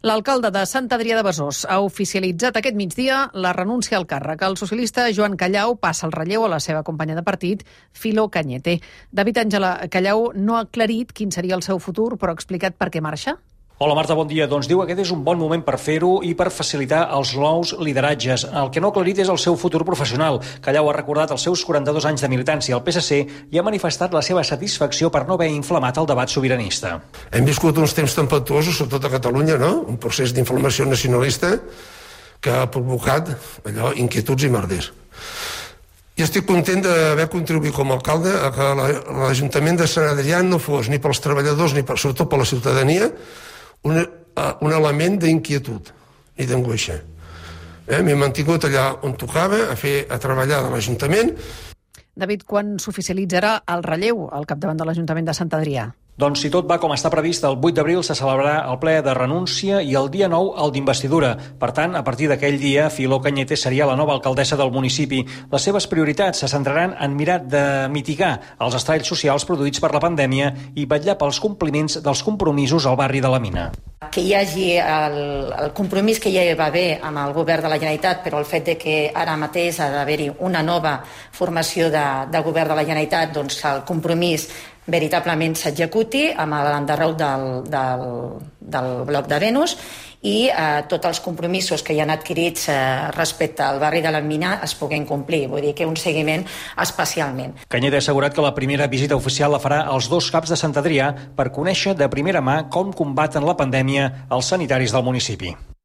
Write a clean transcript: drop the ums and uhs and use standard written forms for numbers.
L'alcalde de Sant Adrià de Besòs ha oficialitzat aquest migdia la renúncia al càrrec. El socialista Joan Callau passa el relleu a la seva companya de partit, Filo Cañete. David Àngela, Callau no ha aclarit quin seria el seu futur, però ha explicat per què marxa? Hola Marta, bon dia. Doncs diu que aquest és un bon moment per fer-ho i per facilitar els nous lideratges. El que no ha aclarit és el seu futur professional. Callau ha recordat els seus 42 anys de militància al PSC i ha manifestat la seva satisfacció per no haver inflamat el debat sobiranista. Hem viscut uns temps tempestuosos, sobretot a Catalunya, no? Un procés d'inflamació nacionalista que ha provocat inquietuds i merders. I estic content d'haver contribuït com a alcalde a que l'Ajuntament de Sant Adrià no fos ni pels treballadors ni sobretot per la ciutadania un element d'inquietud i d'angoixa. M'he mantingut allà on tocava, a treballar de l'Ajuntament. David, quan s'oficialitzarà el relleu al capdavant de l'Ajuntament de Sant Adrià? Doncs si tot va com està previst, el 8 d'abril se celebrarà el ple de renúncia i el dia 9 el d'investidura. Per tant, a partir d'aquell dia, Filo Cañete seria la nova alcaldessa del municipi. Les seves prioritats se centraran en mirar de mitigar els estralls socials produïts per la pandèmia i vetllar pels compliments dels compromisos al barri de la Mina. Que hi hagi el compromís que ja va haver amb el govern de la Generalitat, però el fet de que ara mateix ha d'haver-hi una nova formació de govern de la Generalitat, doncs el compromís veritablement s'executi amb l'enderrou del bloc de Venus i tots els compromisos que hi han adquirits respecte al barri de la Mina es puguin complir, vull dir que un seguiment especialment. Cañete ha assegurat que la primera visita oficial la farà als dos caps de Sant Adrià per conèixer de primera mà com combaten la pandèmia els sanitaris del municipi.